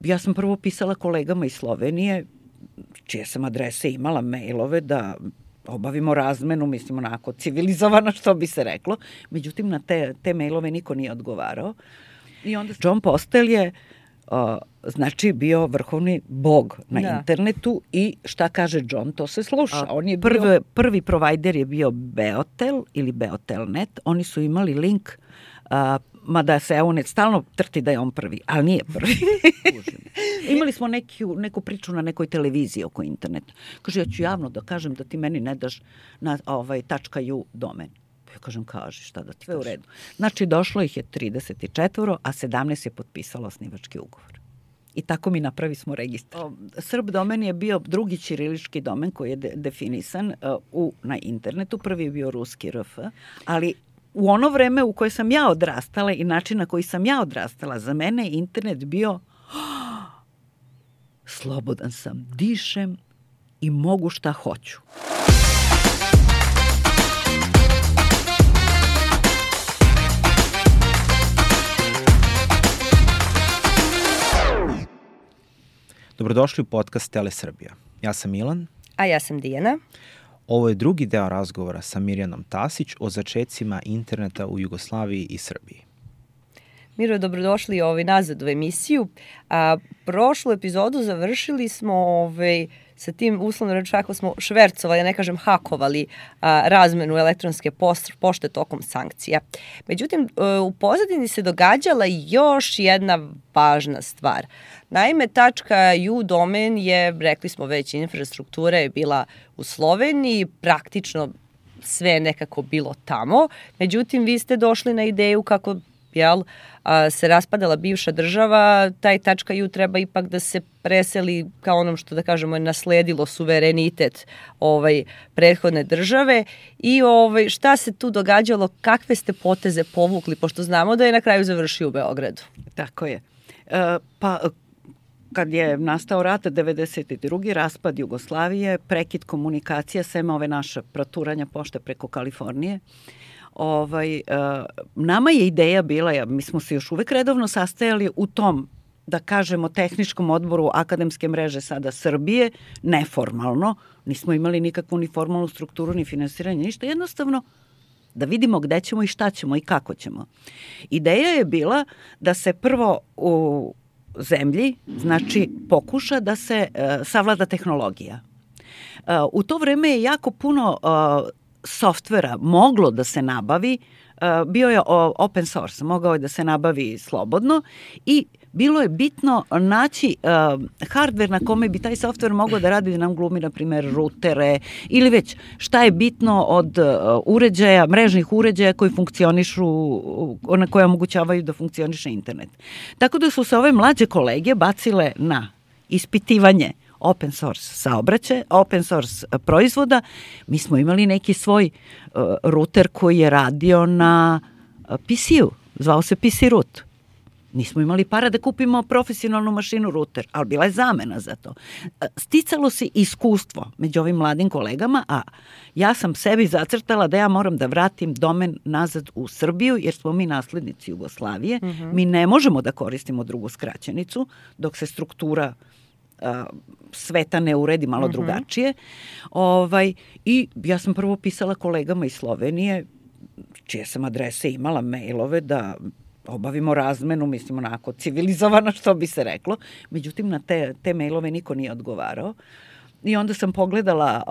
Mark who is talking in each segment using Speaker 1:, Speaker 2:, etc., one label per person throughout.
Speaker 1: Ja sam prvo pisala kolegama iz Slovenije, čije sam adrese imala, mailove, da obavimo razmenu, mislim onako civilizovano što bi se reklo. Međutim, na te mailove niko nije odgovarao. I onda John Postel je znači bio vrhovni bog na internetu i šta kaže John, to se sluša. On je prvi provajder je bio Beotel ili Beotelnet. Oni su imali link, mada se Eunet stalno trti da je on prvi, ali nije prvi. Imali smo neku priču na nekoj televiziji oko interneta. Kaže, ja ću javno da kažem da ti meni ne daš na .u domen. Ja kažem, kaži, šta da ti kažem. Sve u redu. Znači, došlo ih je 34, a 17 je potpisalo osnivački ugovor. I tako mi napravi smo registar. Srb domen je bio drugi ćirilički domen koji je definisan na internetu. Prvi je bio ruski RF, ali u ono vreme u koje sam ja odrastala i način na koji sam ja odrastala, za mene je internet bio slobodan sam, dišem i mogu šta hoću.
Speaker 2: Dobrodošli u podcast Tele Srbija. Ja sam Milan.
Speaker 3: A ja sam Dijana.
Speaker 2: Ovo je drugi deo razgovora sa Mirjanom Tasić o začecima interneta u Jugoslaviji i Srbiji.
Speaker 3: Miro, dobrodošli nazad u emisiju. Prošlu epizodu završili smo sa tim, uslovno rečeno, ako smo švercovali, ne kažem hakovali, razmenu elektronske pošte tokom sankcija. Međutim, u pozadini se događala još jedna važna stvar. Naime, .u domen je, rekli smo već, infrastruktura je bila u Sloveniji, praktično sve nekako bilo tamo. Međutim, vi ste došli na ideju kako se raspadala bivša država, taj .u treba ipak da se preseli kao onom što da kažemo je nasledilo suverenitet prethodne države i šta se tu događalo, kakve ste poteze povukli, pošto znamo da je na kraju završio u Beogradu.
Speaker 1: Tako je. Kad je nastao rat 92. raspad Jugoslavije, prekid komunikacija, sem ove naše proturanja pošte preko Kalifornije, nama je ideja bila, mi smo se još uvek redovno sastajali u tom, da kažemo, tehničkom odboru akademske mreže sada Srbije, neformalno, nismo imali nikakvu ni formalnu strukturu, ni finansiranje, ništa, jednostavno da vidimo gde ćemo i šta ćemo i kako ćemo. Ideja je bila da se prvo u zemlji, znači, pokuša da se savlada tehnologija. U to vreme je jako puno softvera moglo da se nabavi, bio je open source, mogao je da se nabavi slobodno i bilo je bitno naći hardware na kome bi taj software mogao da radi, da nam glumi, na primjer, rutere ili već šta je bitno od uređaja, mrežnih uređaja koji funkcionišu, na koje omogućavaju da funkcioniše internet. Tako da su se ove mlađe kolege bacile na ispitivanje open source open source proizvoda. Mi smo imali neki svoj ruter koji je radio na PC-u, zvao se PC root. Nismo imali para da kupimo profesionalnu mašinu ruter, ali bila je zamena za to. Sticalo se iskustvo među ovim mladim kolegama, a ja sam sebi zacrtala da ja moram da vratim domen nazad u Srbiju, jer smo mi naslednici Jugoslavije. Mi ne možemo da koristimo drugu skraćenicu, dok se struktura sveta ne uredi malo drugačije. I ja sam prvo pisala kolegama iz Slovenije, čije sam adrese imala, mailove, da obavimo razmenu, mislim onako civilizovano što bi se reklo. Međutim, na te mailove niko nije odgovarao. I onda sam pogledala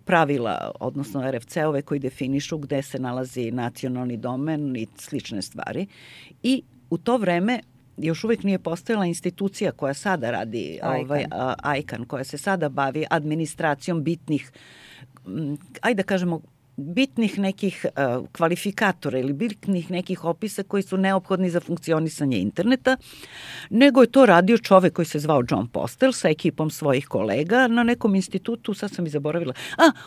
Speaker 1: pravila, odnosno RFC-ove koji definišu gde se nalazi nacionalni domen i slične stvari. I u to vreme još uvek nije postojala institucija koja sada radi, ICANN, koja se sada bavi administracijom bitnih, ajde da kažemo, bitnih nekih kvalifikatora ili bitnih nekih opisa koji su neophodni za funkcionisanje interneta, nego je to radio čovek koji se zvao John Postel sa ekipom svojih kolega na nekom institutu, sad sam i zaboravila,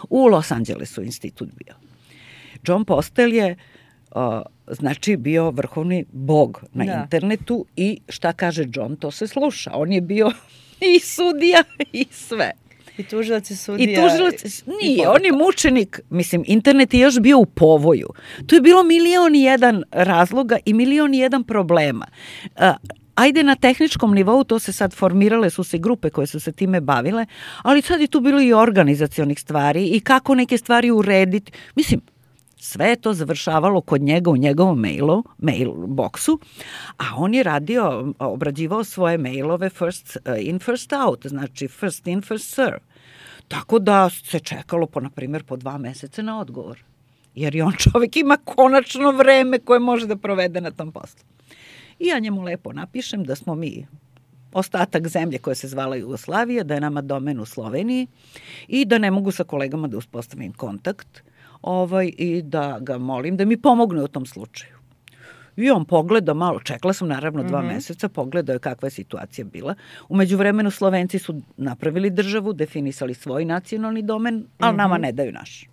Speaker 1: u Los Angelesu institut bio. John Postel je znači bio vrhovni bog na internetu i šta kaže John, to se sluša. On je bio i sudija i sve.
Speaker 3: I tužilac i sudija.
Speaker 1: I tužilac, nije, on je mučenik. Mislim, internet je još bio u povoju. Tu je bilo 1.000.001 razloga i 1.000.001 problema. ajde na tehničkom nivou, to se sad formirale su se grupe koje su se time bavile, ali sad je tu bilo i organizacionih stvari i kako neke stvari urediti. Mislim, sve je to završavalo kod njega u njegovom mail boksu, a on je obrađivao svoje mailove first in, first out, znači first in, first serve. Tako da se čekalo na primjer po 2 meseca na odgovor. Jer i on čovjek ima konačno vreme koje može da provede na tom poslu. I ja njemu lepo napišem da smo mi ostatak zemlje koja se zvala Jugoslavija, da je nama domen u Sloveniji i da ne mogu sa kolegama da uspostavim kontakt i da ga molim da mi pomogne u tom slučaju. I on pogleda malo, čekala sam naravno 2 meseca, pogledao je kakva je situacija bila. U međuvremenu Slovenci su napravili državu, definisali svoj nacionalni domen, ali nama ne daju naš.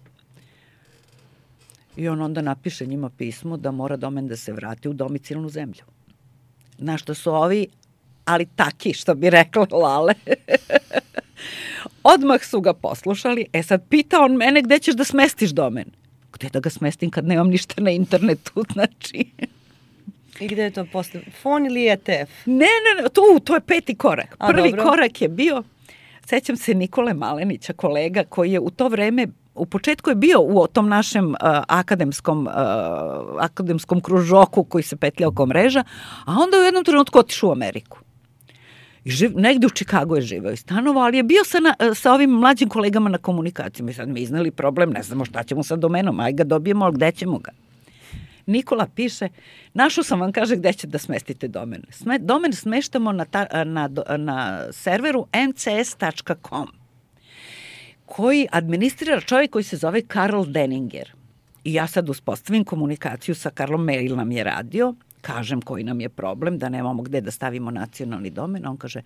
Speaker 1: I on onda napiše njima pismo da mora domen da se vrati u domicilnu zemlju. Na što su ovi, ali taki, što bi rekla Lale, odmah su ga poslušali. Sad pita on mene gde ćeš da smestiš domen. Gde da ga smestim kad nemam ništa na internetu, znači.
Speaker 3: I gde je to posle? Fon ili ETF?
Speaker 1: Ne, to je 5. korak. Prvi korak je bio, sećam se Nikole Malenića, kolega koji je u to vreme, u početku je bio u tom našem akademskom kružoku koji se petlja oko mreža, a onda u jednom trenutku otišao u Ameriku. I negde u Čikagu je živeo i stanovao, ali je bio sa ovim mlađim kolegama na komunikaciji. Mi sad mi iznali problem, ne znamo šta ćemo sa domenom, aj ga dobijemo, ali gde ćemo ga? Nikola piše, našao sam vam, kaže, gde će da smestite domen. Domen smeštamo na serveru mcs.com, koji administrira čovjek koji se zove Karl Denninger. I ja sad uspostavim komunikaciju sa Karlom, mail nam je radio, kažem koji nam je problem, da nemamo gde da stavimo nacionalni domen. On kaže,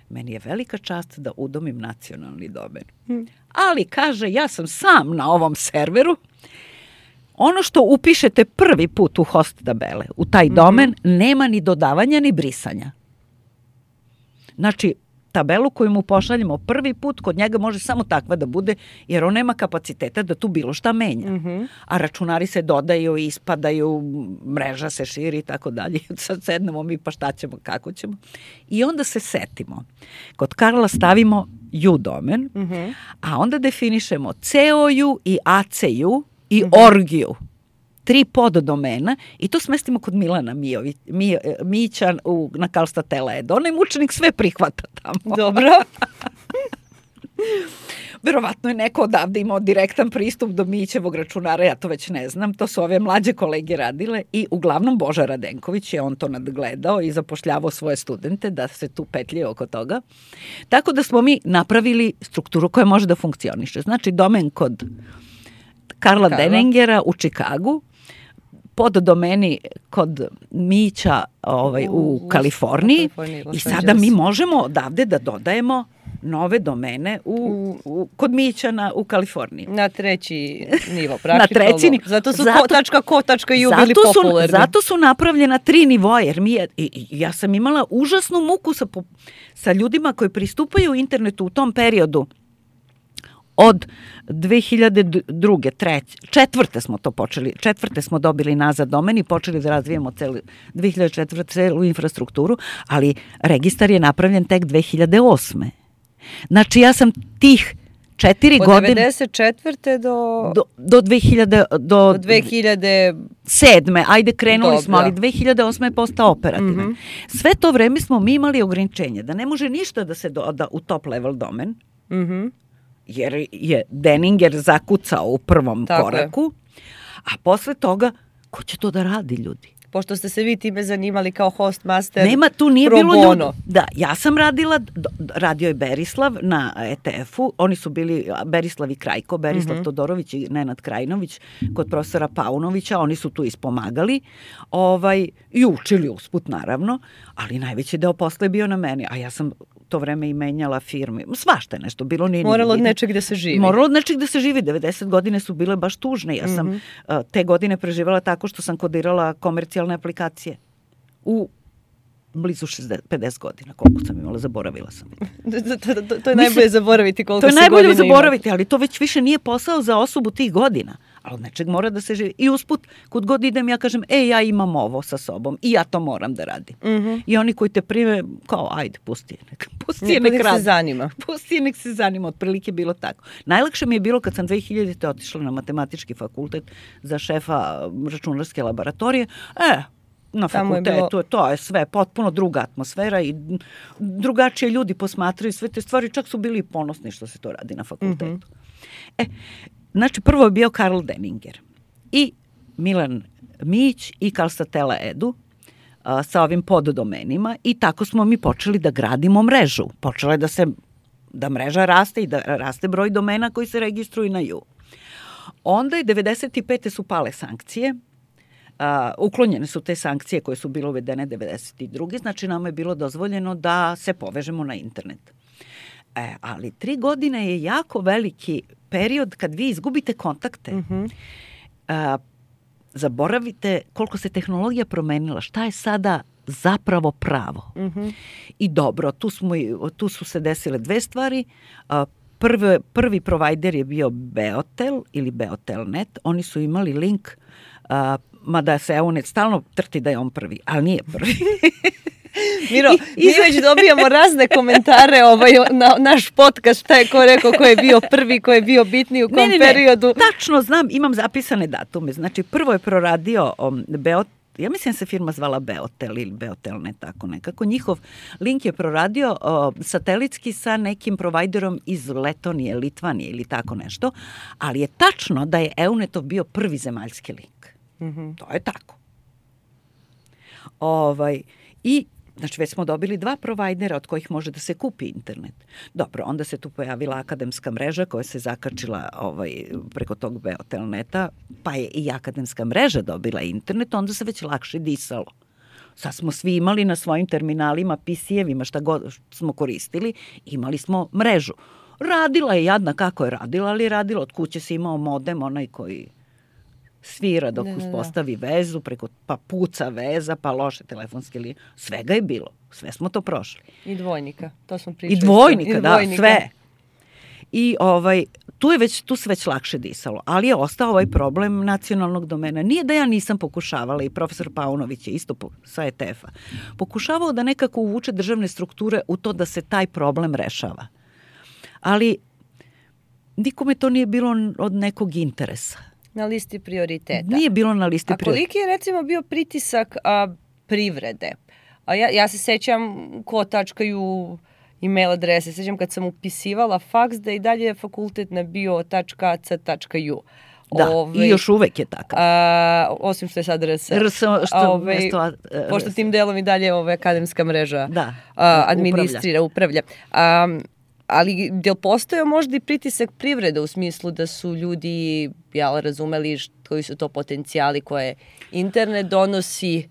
Speaker 1: meni je velika čast da udomim nacionalni domen. Ali, kaže, ja sam sam na ovom serveru. Ono što upišete prvi put u host tabele, u taj domen, nema ni dodavanja ni brisanja. Znači, tabelu koju mu pošaljemo prvi put, kod njega može samo takva da bude, jer on nema kapaciteta da tu bilo šta menja. A računari se dodaju, ispadaju, mreža se širi i tako dalje. Sad sednemo mi pa šta ćemo, kako ćemo. I onda se setimo. Kod Karla stavimo u domen, a onda definišemo COU i ACU i orgiju. 3 poddomena i to smestimo kod Milana Mića na Karlstad LED. Onaj mučenik sve prihvata tamo.
Speaker 3: Dobro.
Speaker 1: Verovatno je neko odavde imao direktan pristup do Mićevog računara, ja to već ne znam, to su ove mlađe kolege radile i uglavnom Boža Radenković je on to nadgledao i zapošljavao svoje studente da se tu petljaju oko toga. Tako da smo mi napravili strukturu koja može da funkcioniše. Znači domen kod Karla Deningera u Čikagu, pod domeni kod Mića u Kaliforniji i sada mi možemo odavde da dodajemo nove domene kod Mića u Kaliforniji.
Speaker 3: Na 3. nivo, praktično. Zato su .co.uk bili popularni.
Speaker 1: Zato su napravljena 3 nivoa, jer ja sam imala užasnu muku sa ljudima koji pristupaju internetu u tom periodu. Od 2002. 4. smo to počeli, 4. smo dobili nazad domen i počeli da razvijemo 2004. celu infrastrukturu, ali registar je napravljen tek 2008. Znači ja sam tih 4 godine...
Speaker 3: Od 94.
Speaker 1: do 2007. Ajde, krenuli smo, ali 2008. je postao operativan. Sve to vreme smo mi imali ograničenje da ne može ništa da se doda u top level domen, jer je Denninger zakucao u prvom koraku, a posle toga, ko će to da radi, ljudi?
Speaker 3: Pošto ste se vi time zanimali kao hostmaster,
Speaker 1: nema, tu nije bilo ljudi. Da, ja sam radio je Berislav na ETF-u, oni su bili Berislav i Krajko, Berislav Todorović i Nenad Krajinović kod profesora Paunovića, oni su tu ispomagali i učili usput naravno, ali najveći deo posla je bio na meni, a ja sam to vreme i menjala firme. Svašta je nešto bilo.
Speaker 3: Moralo od nečeg da se živi.
Speaker 1: Moralo od nečeg da se živi. 90 godine su bile baš tužne. Ja sam te godine preživala tako što sam kodirala komercijalne aplikacije. U blizu 50 godina. Koliko sam imala, zaboravila sam.
Speaker 3: To je najbolje zaboraviti koliko se godina ima.
Speaker 1: To je najbolje zaboraviti, ali to već više nije posao za osobu tih godina. Ali od nečeg mora da se živi. I usput, kud god idem, ja kažem, ja imam ovo sa sobom i ja to moram da radim. I oni koji te prime, kao, ajde, pusti je nek radi.
Speaker 3: Se zanima.
Speaker 1: Pusti je nek se zanima, otprilike bilo tako. Najlakše mi je bilo kad sam 2000. otišla na matematički fakultet za šefa računarske laboratorije. Na fakultetu, to je sve potpuno druga atmosfera i drugačije ljudi posmatraju sve te stvari, čak su bili ponosni što se to radi na fakultetu. Znači, prvo je bio Karl Denninger i Milan Mić i Kalstatela Edu sa ovim poddomenima i tako smo mi počeli da gradimo mrežu. Počela je da mreža raste i da raste broj domena koji se registruju na ju. Onda je 95. su pale sankcije, uklonjene su te sankcije koje su bile uvedene 92. Znači nama je bilo dozvoljeno da se povežemo na internet. Ali 3 godine je jako veliki period kad vi izgubite kontakte. Zaboravite koliko se tehnologija promenila, šta je sada zapravo pravo. I dobro, tu su se desile 2 stvari. Prvi provajder je bio Beotel ili Beotelnet. Oni su imali link, mada se EUNET stalno trti da je on prvi, ali nije prvi.
Speaker 3: Miro, mi već dobijamo razne komentare na naš podcast, šta je ko rekao, ko je bio prvi, ko je bio bitniji u kom periodu.
Speaker 1: Tačno znam, imam zapisane datume. Znači, prvo je proradio ja mislim da se firma zvala Beotel ili Beotelnet, tako nekako. Njihov link je proradio satelitski sa nekim provajderom iz Letonije, Litvanije ili tako nešto, ali je tačno da je EUNET-ov bio prvi zemaljski link. To je tako. I znači, već smo dobili 2 provajdera od kojih može da se kupi internet. Dobro, onda se tu pojavila akademska mreža koja se zakačila preko tog Beotelneta, pa je i akademska mreža dobila internet, onda se već lakše disalo. Sad smo svi imali na svojim terminalima, PC-evima, šta god smo koristili, imali smo mrežu. Radila je jadna kako je radila, ali je radila od kuće, se imao modem, onaj koji svira dok uspostavi vezu, pa puca veza, pa loše telefonske linije. Svega je bilo. Sve smo to prošli.
Speaker 3: I dvojnika, to smo pričali.
Speaker 1: I dvojnika, sve. I tu se već lakše disalo. Ali je ostao ovaj problem nacionalnog domena. Nije da ja nisam pokušavala, i profesor Paunović je isto sa ETF-a, pokušavao da nekako uvuče državne strukture u to da se taj problem rešava. Ali nikome to nije bilo od nekog interesa.
Speaker 3: Na listi prioriteta.
Speaker 1: Nije bilo na listi prioriteta.
Speaker 3: A koliki je recimo bio pritisak privrede? Ja se sećam ko tačkaju e-mail adrese. Sećam kad sam upisivala faks da i dalje je fakultet na bio.ac.ju.
Speaker 1: Da, i još uvek je takav.
Speaker 3: Osim što je sad RS. Pošto tim delom i dalje akademska mreža administrira, upravlja. Ali je postojao možda i pritisak privrede u smislu da su ljudi razumeli koji su to potencijali koje internet donosi?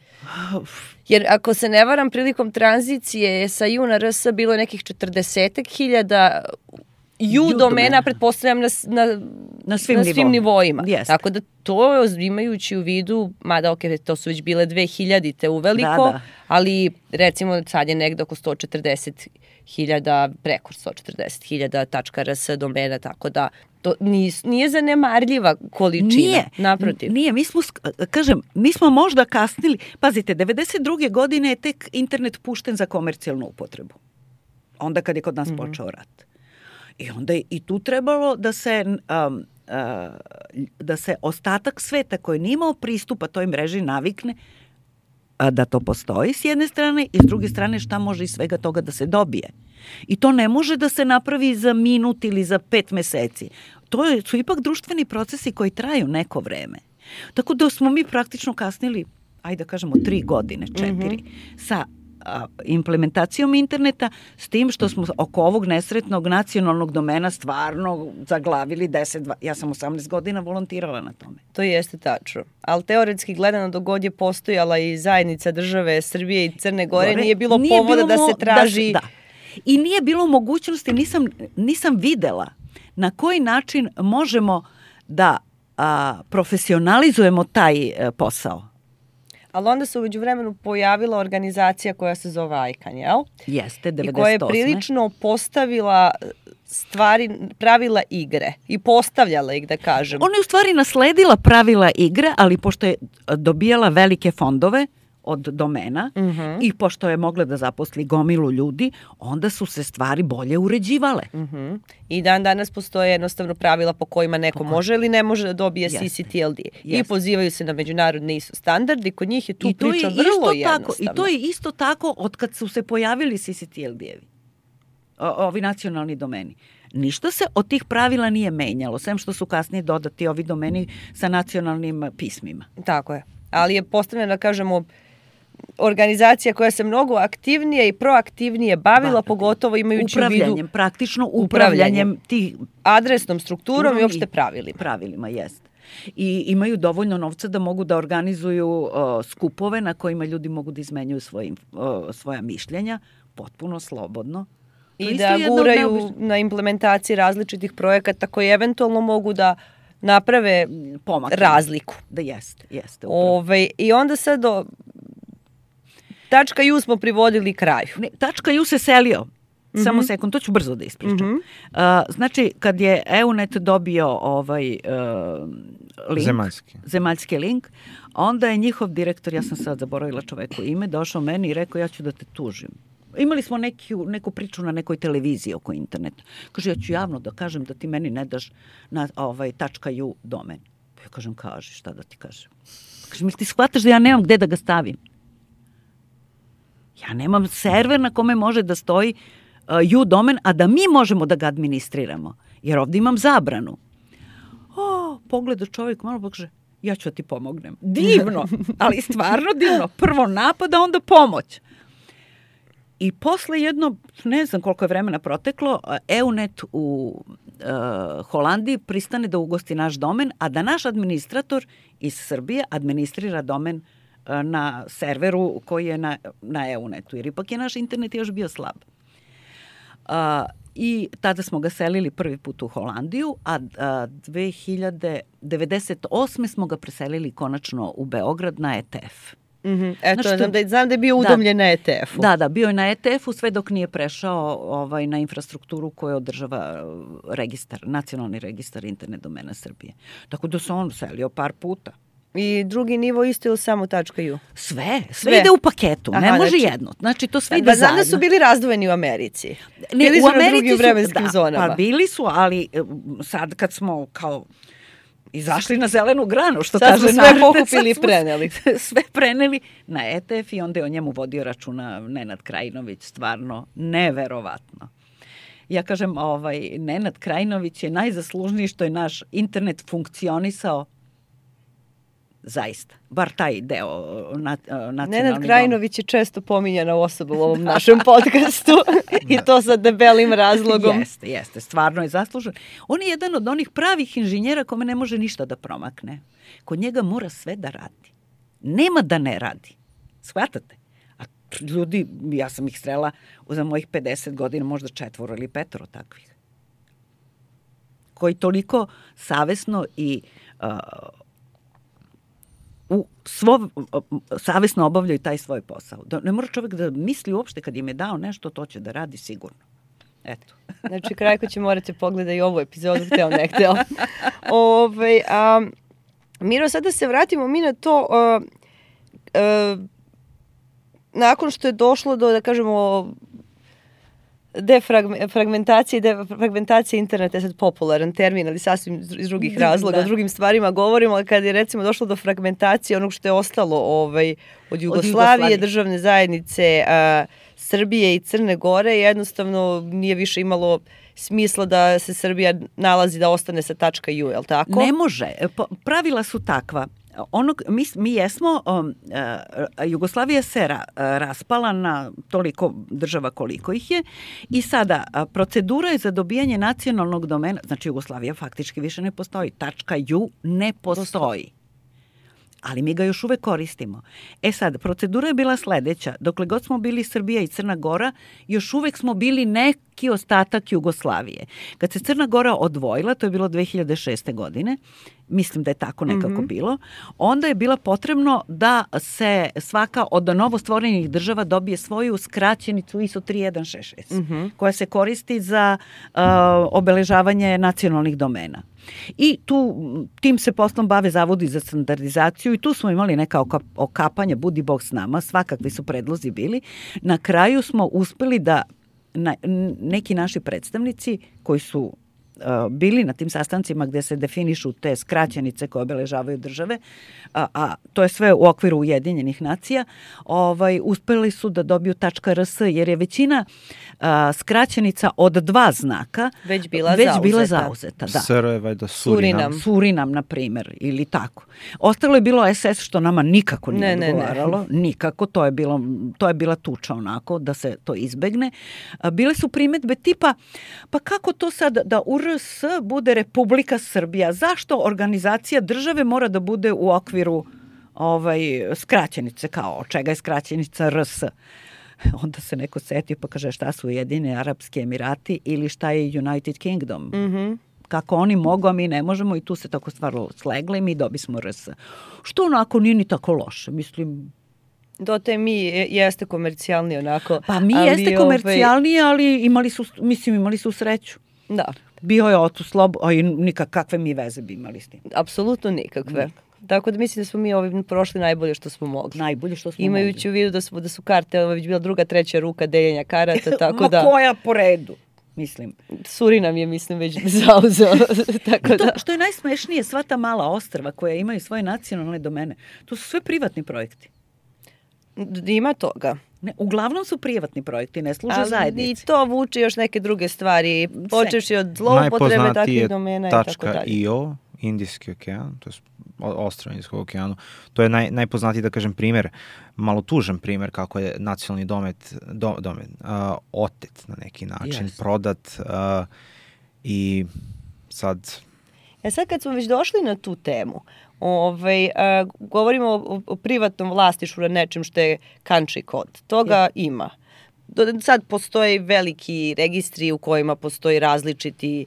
Speaker 3: Jer ako se ne varam, prilikom tranzicije sa ju na RS bilo je nekih 40.000 domena, pretpostavljam na svim nivoima.
Speaker 1: Yes.
Speaker 3: Tako da to imajući u vidu, mada to su već bile 2000-te uveliko, ali recimo sad je negde oko 140.000, preko 140.000 .rs domena, tako da to nije zanemarljiva količina. Naprotiv.
Speaker 1: Nije, mi smo možda kasnili. Pazite, 92. godine je tek internet pušten za komercijalnu upotrebu. Onda kad je kod nas počeo rat. I onda je i tu trebalo da se ostatak sveta koji nije imao pristupa toj mreži navikne da to postoji s jedne strane i s druge strane šta može iz svega toga da se dobije. I to ne može da se napravi za minut ili za 5 meseci. To su ipak društveni procesi koji traju neko vreme. Tako da smo mi praktično kasnili, ajde da kažemo 3 godine, 4, sa implementacijom interneta, s tim što smo oko ovog nesretnog nacionalnog domena stvarno zaglavili 10, ja sam 18 godina volontirala na tome.
Speaker 3: To jeste tačno. Ali teoretski gledano dok god je postojala i zajednica države Srbije i Crne Gore, nije bilo povoda da se traži...
Speaker 1: I nije bilo mogućnosti, nisam videla na koji način možemo da profesionalizujemo taj posao.
Speaker 3: Ali onda se umeđu vremenu pojavila organizacija koja se zove ICANN, jel?
Speaker 1: Jeste, 98.
Speaker 3: I koja je prilično postavila stvari, pravila igre i postavljala ih, da kažem.
Speaker 1: Ona je u stvari nasledila pravila igre, ali pošto je dobijala velike fondove od domena i pošto je mogla da zaposli gomilu ljudi, onda su se stvari bolje uređivale.
Speaker 3: I dan danas postoje jednostavno pravila po kojima neko može ili ne može da dobije CCTLD. I pozivaju se na međunarodne ISO standardi, kod njih je tu priča vrlo jednostavna.
Speaker 1: I to je isto tako od kad su se pojavili CCTLD-evi, ovi nacionalni domeni. Ništa se od tih pravila nije menjalo, sem što su kasnije dodati ovi domeni sa nacionalnim pismima.
Speaker 3: Tako je. Ali je postavljena, kažemo, organizacija koja se mnogo aktivnije i proaktivnije bavila, pogotovo imajući u vidu
Speaker 1: praktično upravljanjem tih
Speaker 3: adresnom strukturom i uopšte pravilima.
Speaker 1: Pravilima, jest. I imaju dovoljno novca da mogu da organizuju skupove na kojima ljudi mogu da izmenjuju svoja mišljenja potpuno slobodno.
Speaker 3: I da guraju na implementaciji različitih projekata koji eventualno mogu da naprave razliku.
Speaker 1: Da jeste.
Speaker 3: I onda sad .u smo privodili kraju.
Speaker 1: .u se selio. Samo sekund, to ću brzo da ispričam. Znači, kad je EUNET dobio link, zemaljski link, onda je njihov direktor, ja sam sad zaboravila čoveku ime, došao meni i rekao ja ću da te tužim. Imali smo neku priču na nekoj televiziji oko interneta. Kaže, ja ću javno da kažem da ti meni ne daš na .u domen. Ja kažem, kaži, šta da ti kažem? Kaže, mi ti shvataš da ja nemam gde da ga stavim? Ja nemam server na kome može da stoji .u domen, a da mi možemo da ga administriramo. Jer ovdje imam zabranu. Pogleda čovjek malo, kaže, ja ću da ti pomognem. Divno, ali stvarno divno. Prvo napad, a onda pomoć. I posle jedno, ne znam koliko je vremena proteklo, EUNET u Holandiji pristane da ugosti naš domen, a da naš administrator iz Srbije administrira domen na serveru koji je na EUNET-u, jer ipak je naš internet još bio slab. I tada smo ga selili prvi put u Holandiju, a 1998. smo ga preselili konačno u Beograd na ETF.
Speaker 3: Eto, znam da je bio udomljen na ETF-u.
Speaker 1: Da, bio je na ETF-u sve dok nije prešao na infrastrukturu koju održava nacionalni registar internet domena Srbije. Tako da se on selio par puta.
Speaker 3: I drugi nivo isto ili samo .u?
Speaker 1: Sve ide u paketu, ne može jedno. Znači, to sve ide zajedno.
Speaker 3: Da su bili razdvojeni u Americi. Bili su na drugim vremenskim zonama.
Speaker 1: Pa bili su, ali sad kad smo kao izašli na zelenu granu, što
Speaker 3: sad
Speaker 1: kaže
Speaker 3: sve pokupili i preneli.
Speaker 1: Sve preneli na ETF i onda je o njemu vodio računa Nenad Krajinović, stvarno neverovatno. Ja kažem, Nenad Krajinović je najzaslužniji što je naš internet funkcionisao zaista, bar taj deo nacionalni.
Speaker 3: Nenad Krajinović je često pominjana osoba u ovom našem podcastu i to sa debelim razlogom.
Speaker 1: Jeste, stvarno je zaslužen. On je jedan od onih pravih inženjera kome ne može ništa da promakne. Kod njega mora sve da radi. Nema da ne radi. Shvatate? A ljudi, ja sam ih srela za mojih 50 godina, možda 4 ili 5 takvih. Koji toliko savesno i savesno obavljaju taj svoj posao. Ne mora čovjek da misli uopšte kad im je dao nešto, to će da radi sigurno. Eto.
Speaker 3: Znači, Krajko će morati pogledati i ovu epizodu, hteo ne hteo. Miro, sad da se vratimo mi na to, nakon što je došlo do, da kažemo, fragmentacija interneta je sad popularan termin, ali sasvim iz drugih razloga, o drugim stvarima govorimo, ali kad je recimo došlo do fragmentacije onog što je ostalo od Jugoslavije, državne zajednice Srbije i Crne Gore, jednostavno nije više imalo smisla da se Srbija nalazi da ostane sa .u, je li tako?
Speaker 1: Ne može. Pravila su takva. Mi jesmo, Jugoslavija se raspala na toliko država koliko ih je i sada procedura je za dobijanje nacionalnog domena, znači Jugoslavija faktički više ne postoji, .u ne postoji. ali mi ga još uvek koristimo. Sad, procedura je bila sledeća. Dokle god smo bili Srbija i Crna Gora, još uvek smo bili neki ostatak Jugoslavije. Kad se Crna Gora odvojila, to je bilo 2006. godine, mislim da je tako nekako bilo, onda je bilo potrebno da se svaka od novostvorenih država dobije svoju skraćenicu ISO 3166, koja se koristi za obeležavanje nacionalnih domena. I tim se poslom bave zavodi za standardizaciju i tu smo imali neka okapanja, budi Bog s nama, svakakvi su predlozi bili. Na kraju smo uspeli da neki naši predstavnici koji su bili na tim sastancima gde se definišu te skraćenice koje obeležavaju države, a to je sve u okviru Ujedinjenih nacija, uspeli su da dobiju .rs, jer je većina skraćenica od 2 znaka
Speaker 3: već bila
Speaker 1: zauzeta. Da.
Speaker 2: SR je valjda Surinam.
Speaker 1: Surinam, na primjer, ili tako. Ostalo je bilo SS, što nama nikako nije odgovaralo. Nikako, to je bila tuča onako, da se to izbegne. Bile su primedbe tipa, pa kako to sad da RS bude Republika Srbija? Zašto organizacija države mora da bude u okviru skraćenice, kao čega je skraćenica RS? Onda se neko setio pa kaže šta su Ujedinjeni Arapski Emirati ili šta je United Kingdom. Kako oni mogu, a mi ne možemo, i tu se tako stvar slegla i mi dobismo RS. Što onako nije ni tako loše, mislim.
Speaker 3: Dote mi jeste komercijalni onako.
Speaker 1: Pa mi jeste komercijalni, ali imali su sreću.
Speaker 3: Da.
Speaker 1: Bio je Otuslab, a i nikakve mi veze bi imali s tim.
Speaker 3: Apsolutno nikakve. Tako da mislim da smo mi ovim prošli najbolje što smo mogli. Imajući u vidu da su karte, ovo je već bila 2., 3. ruka deljenja karata, tako da.
Speaker 1: Koja po redu, mislim.
Speaker 3: Surinam je, mislim, već zauzeo. Tako da.
Speaker 1: Što je najsmešnije, sva ta mala ostrva koja imaju svoje nacionalne domene, to su sve privatni projekti.
Speaker 3: Ima toga.
Speaker 1: Ne, uglavnom su privatni projekti, ne služe zajednici.
Speaker 3: I to vuče još neke druge stvari, počevši od zloupotrebe takvih domena i tako dalje.
Speaker 2: .io, Indijski okean, to je ostrvo Indijskog okeanu. To je najpoznatiji, da kažem, primer, malo tužan primer kako je nacionalni domet otet na neki način, prodat i sad.
Speaker 3: Sad kad smo već došli na tu temu, govorimo o privatnom vlasništvu na nečem što je country kod. Toga ima. Sad postoje veliki registri u kojima postoji različiti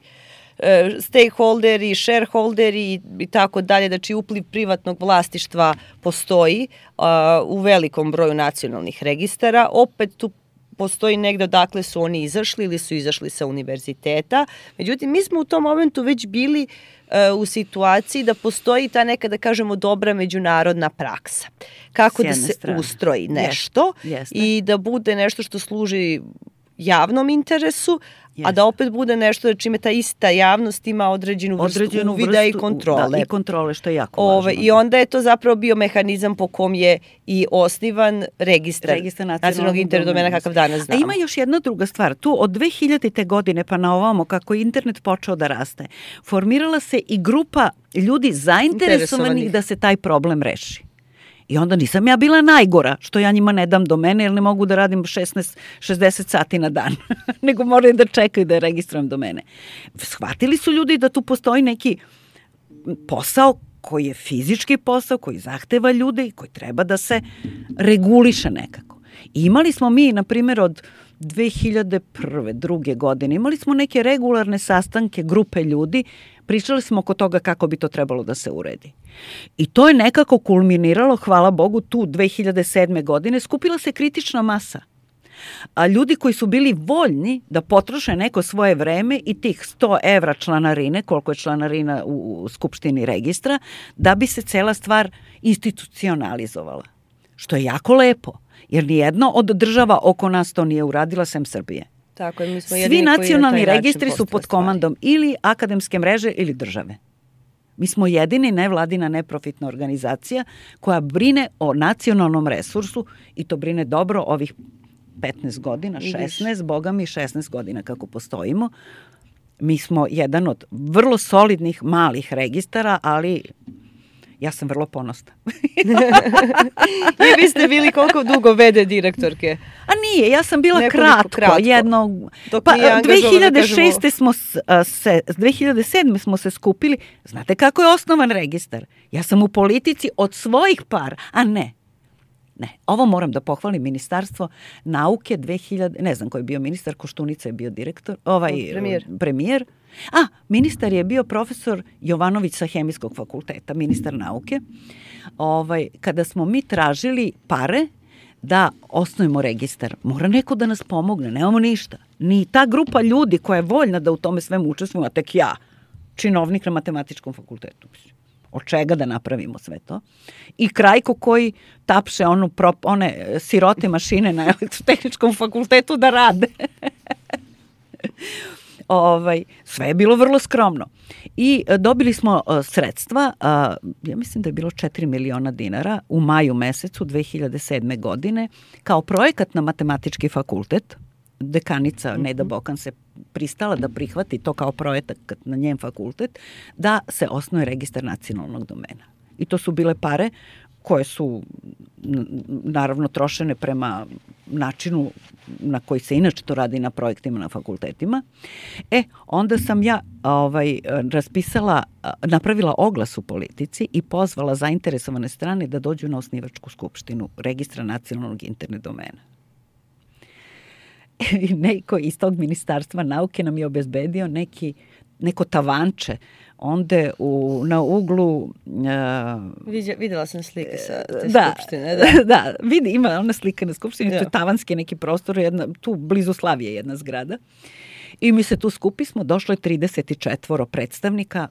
Speaker 3: stakeholderi, shareholderi i tako dalje, znači upliv privatnog vlasništva postoji u velikom broju nacionalnih registara. Opet tu postoji negde odakle su oni izašli ili su izašli sa univerziteta. Međutim, mi smo u tom momentu već bili u situaciji da postoji ta neka, da kažemo, dobra međunarodna praksa. Kako da se ustroji nešto i da bude nešto što služi javnom interesu, a da opet bude nešto čime ta ista javnost ima određenu vrstu uvida i kontrole.
Speaker 1: Da, i kontrole, što je jako važno.
Speaker 3: I onda je to zapravo bio mehanizam po kom je i osnivan registar nacionalnog interdomena kakav danas znamo.
Speaker 1: A ima još jedna druga stvar. Tu od 2000. godine pa na ovamo, kako je internet počeo da raste, formirala se i grupa ljudi zainteresovanih da se taj problem reši. I onda nisam ja bila najgora, što ja njima ne dam domene, jer ne mogu da radim 60 sati na dan, nego moraju da čekaju da registrujem domene. Shvatili su ljudi da tu postoji neki posao koji je fizički posao, koji zahteva ljude i koji treba da se reguliše nekako. I imali smo mi, na primjer, od 2001. druge godine, imali smo neke regularne sastanke, grupe ljudi, pričali smo oko toga kako bi to trebalo da se uredi. I to je nekako kulminiralo, hvala Bogu, tu 2007. godine, skupila se kritična masa. A ljudi koji su bili voljni da potroše neko svoje vreme i tih 100 evra članarine, koliko je članarina u Skupštini registra, da bi se cela stvar institucionalizovala. Što je jako lepo, jer nijedno od država oko nas to nije uradila, sem Srbije.
Speaker 3: Tako je, mi smo
Speaker 1: svi nacionalni registri su pod komandom ili akademske mreže ili države. Mi smo jedini nevladina neprofitna organizacija koja brine o nacionalnom resursu i to brine dobro ovih 15 godina, 16, boga mi 16 godina kako postojimo. Mi smo jedan od vrlo solidnih malih registara, ali Ja sam vrlo ponosna.
Speaker 3: I vi ste bili koliko dugo VD direktorke?
Speaker 1: A nije, ja sam bila kratko.
Speaker 3: Pa
Speaker 1: 2006. smo se, 2007. smo se skupili. Znate kako je osnovan registar? Ja sam u politici od svojih para, a ne. Ovo moram da pohvalim, Ministarstvo nauke 2000, ne znam ko je bio ministar, Koštunica je bio direktor, premijer. A, ministar je bio profesor Jovanović sa Hemijskog fakulteta, ministar nauke. Kada smo mi tražili pare da osnovimo registar, mora neko da nas pomogne, nemamo ništa. Ni ta grupa ljudi koja je voljna da u tome svemu učestvuje, a tek ja, činovnik na matematičkom fakultetu. Od čega da napravimo sve to. I Krajko koji tapše one sirote mašine na elektrotehničkom fakultetu da rade. Sve je bilo vrlo skromno. I dobili smo sredstva, ja mislim da je bilo 4 miliona dinara u maju mesecu 2007. godine kao projekat na matematički fakultet. Dekanica Neda Bokan se pristala da prihvati to kao projekat na njen fakultet, da se osnuje registar nacionalnog domena. I to su bile pare koje su naravno trošene prema načinu na koji se inače to radi na projektima na fakultetima. Onda sam ja napravila oglas u Politici i pozvala zainteresovane strane da dođu na osnivačku skupštinu registra nacionalnog internet domena. Neko iz tog Ministarstva nauke nam je obezbedio neko tavanče onda na uglu...
Speaker 3: Videla sam slike sa te skupštine.
Speaker 1: Da, ima ona slika na skupštini, to je tavanski neki prostor, tu blizu Slavije jedna zgrada. I mi se tu skupismo, došlo je 34 predstavnika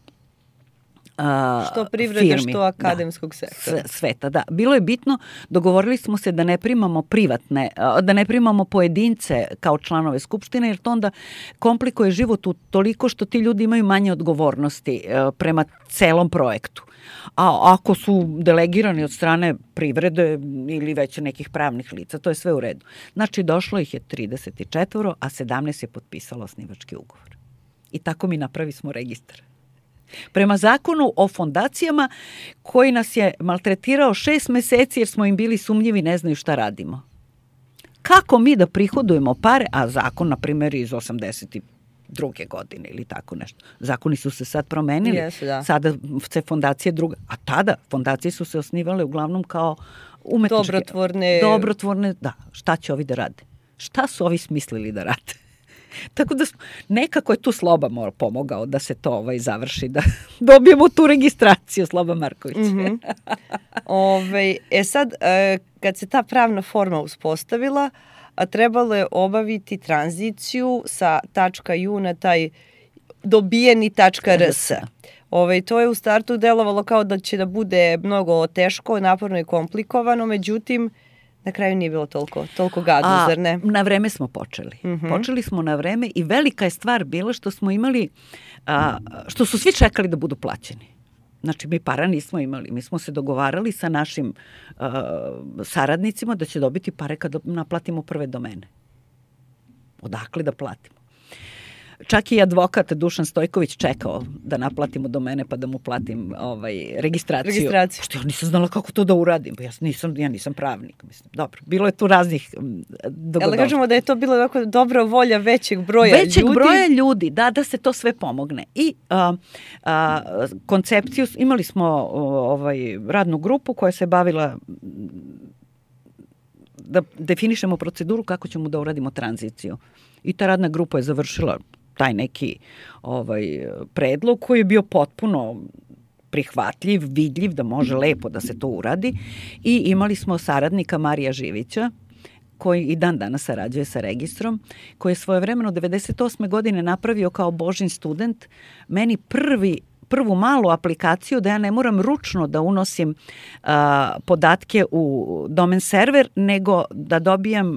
Speaker 3: što privrede, što akademskog sektora.
Speaker 1: Sveta, da. Bilo je bitno, dogovorili smo se da ne primamo da ne primamo pojedince kao članove skupštine, jer to onda komplikuje život toliko što ti ljudi imaju manje odgovornosti prema celom projektu. A ako su delegirani od strane privrede ili već nekih pravnih lica, to je sve u redu. Znači, došlo ih je 34, a 17 je potpisalo osnivački ugovor. I tako mi napravi smo registar. Prema zakonu o fondacijama koji nas je maltretirao 6 meseci jer smo im bili sumnjivi, ne znaju šta radimo. Kako mi da prihodujemo pare, a zakon, na primjer, iz 82. godine ili tako nešto. Zakoni su se sad promenili, sada se fondacije druga, a tada fondacije su se osnivale uglavnom kao umetničke. Dobrotvorne, da. Šta će ovi da rade? Šta su ovi smislili da rade? Tako da nekako je tu Sloba pomogao da se to završi, da dobijemo tu registraciju, Sloba Marković.
Speaker 3: Sad, kad se ta pravna forma uspostavila, trebalo je obaviti tranziciju sa .u na taj dobijeni .rs. To je u startu delovalo kao da će da bude mnogo teško, naporno i komplikovano, međutim, na kraju nije bilo toliko gadno, zar ne?
Speaker 1: Na vreme smo počeli. Počeli smo na vreme i velika je stvar bila što smo imali, što su svi čekali da budu plaćeni. Znači, mi para nismo imali. Mi smo se dogovarali sa našim saradnicima da će dobiti pare kada naplatimo prve domene. Odakle da platimo? Čak i advokat Dušan Stojković čekao da naplatimo domene pa da mu platim registraciju. Što ja nisam znala kako to da uradim. Ja nisam pravnik. Mislim. Dobro, bilo je tu raznih dogodova.
Speaker 3: Ali kažemo da je to bilo dobra volja većeg broja ljudi.
Speaker 1: Većeg broja ljudi, da se to sve pomogne. I koncepciju, imali smo radnu grupu koja se bavila da definišemo proceduru kako ćemo da uradimo tranziciju. I ta radna grupa je završila taj neki predlog koji je bio potpuno prihvatljiv, vidljiv, da može lepo da se to uradi. I imali smo saradnika Marija Živića, koji i dan danas sarađuje sa registrom, koji je svojevremeno 98. godine napravio kao Božin student meni prvu malu aplikaciju da ja ne moram ručno da unosim podatke u domen server, nego da dobijem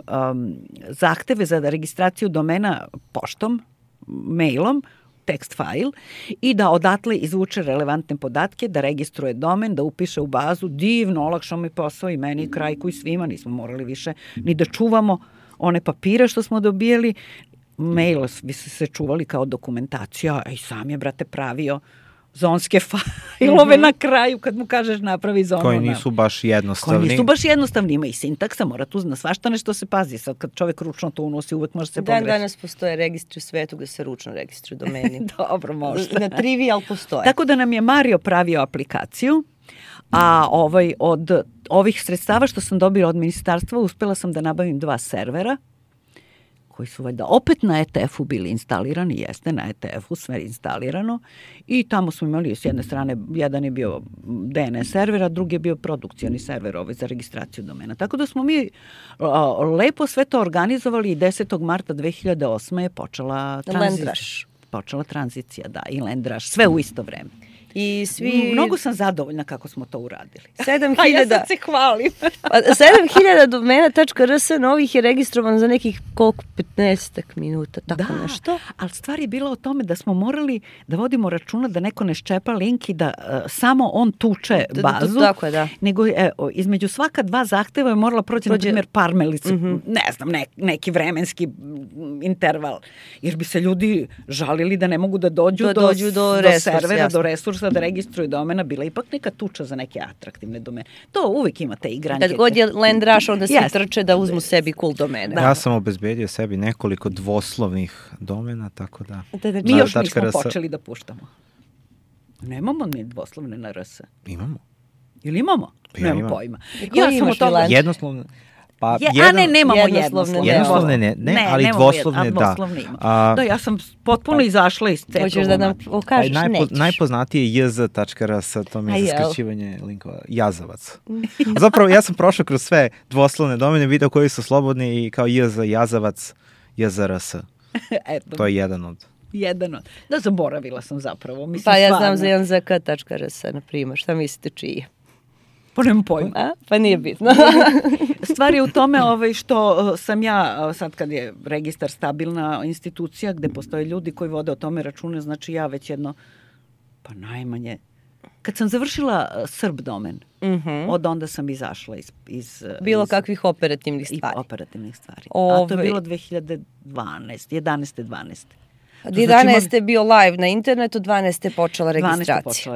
Speaker 1: zahteve za registraciju domena poštom, mailom, text file i da odatle izvuče relevantne podatke, da registruje domen, da upiše u bazu. Divno, olakšao mi posao i meni i Krajku i svima. Nismo morali više ni da čuvamo one papire što smo dobijali. Mail bi se čuvali kao dokumentacija, a i sam je, brate, pravio zonske fajlove na kraju kad mu kažeš napravi zonu.
Speaker 2: Koji nisu baš jednostavni.
Speaker 1: Ima i sintaksa, mora tu na svašta nešto se pazi. Sad kad čovjek ručno to unosi, uvek može se pogrešiti.
Speaker 3: Danas postoje registri u svetu gde se ručno registruju domeni.
Speaker 1: Dobro, možda.
Speaker 3: Na Trivial postoje.
Speaker 1: Tako da nam je Mario pravio aplikaciju, a od ovih sredstava što sam dobila od ministarstva uspela sam da nabavim 2 servera koji su valjda opet na ETF-u bili instalirani, jeste na ETF-u sve instalirano i tamo smo imali s jedne strane, jedan je bio DNS server, a drugi je bio produkcioni server za registraciju domena. Tako da smo mi lepo sve to organizovali i 10. marta 2008. je počela tranzicija, da, i Lendraš, sve u isto vreme.
Speaker 3: I svi...
Speaker 1: Mnogo sam zadovoljna kako smo to uradili.
Speaker 3: 7.000...
Speaker 1: A ja sad se hvalim.
Speaker 3: 7.000 domena.rs novih je registrovan za nekih koliko 15 minuta, tako nešto.
Speaker 1: Ali stvar je bila o tome da smo morali da vodimo računa da neko ne ščepa link i da samo on tuče bazu.
Speaker 3: Tako je, da.
Speaker 1: Nego između svaka 2 zahteva je morala proći, na primjer, parmelice, ne znam, neki vremenski interval. Jer bi se ljudi žalili da ne mogu da dođu do servera, do resursa, da registruju domena, bila ipak neka tuča za neke atraktivne domene. To uvijek imate igranke.
Speaker 3: Kad god je Lendraš, onda svi trče da uzmu sebi cool domene.
Speaker 2: Ja sam obezbedio sebi nekoliko dvoslovnih domena, tako da...
Speaker 1: Mi još nismo počeli da puštamo. Nemamo ni dvoslovne na RS.
Speaker 2: Imamo.
Speaker 1: Ili imamo? Nemam pojma.
Speaker 3: Ja sam o tome...
Speaker 2: Jednoslovne...
Speaker 1: nemamo
Speaker 2: jednoslovne. Ne, ali dvoslovne da.
Speaker 1: Da, ja sam potpuno izašla iz te.
Speaker 3: Hoćeš da nam pokažeš
Speaker 2: najpoznatije je jz.rs, to mi je za skraćivanje linkova, Jazavac. Zapravo, ja sam prošao kroz sve dvoslovne domene, video koji su slobodni i kao jz, Jazavac, jz.rs. To je jedan od.
Speaker 1: Da, zaboravila sam zapravo.
Speaker 3: Pa ja znam za janzk.rs, na primjer, šta mislite čiji je?
Speaker 1: Pa nemam pojma.
Speaker 3: Pa nije bitno.
Speaker 1: Stvar je u tome što sam ja, sad kad je registar stabilna institucija gde postoje ljudi koji vode o tome račune, znači ja već jedno, pa najmanje, kad sam završila Srb domen, od onda sam izašla iz
Speaker 3: bilo kakvih operativnih stvari.
Speaker 1: A to je bilo 2012, 11.
Speaker 3: 11. je bio live na internetu, 12. je počela registracija.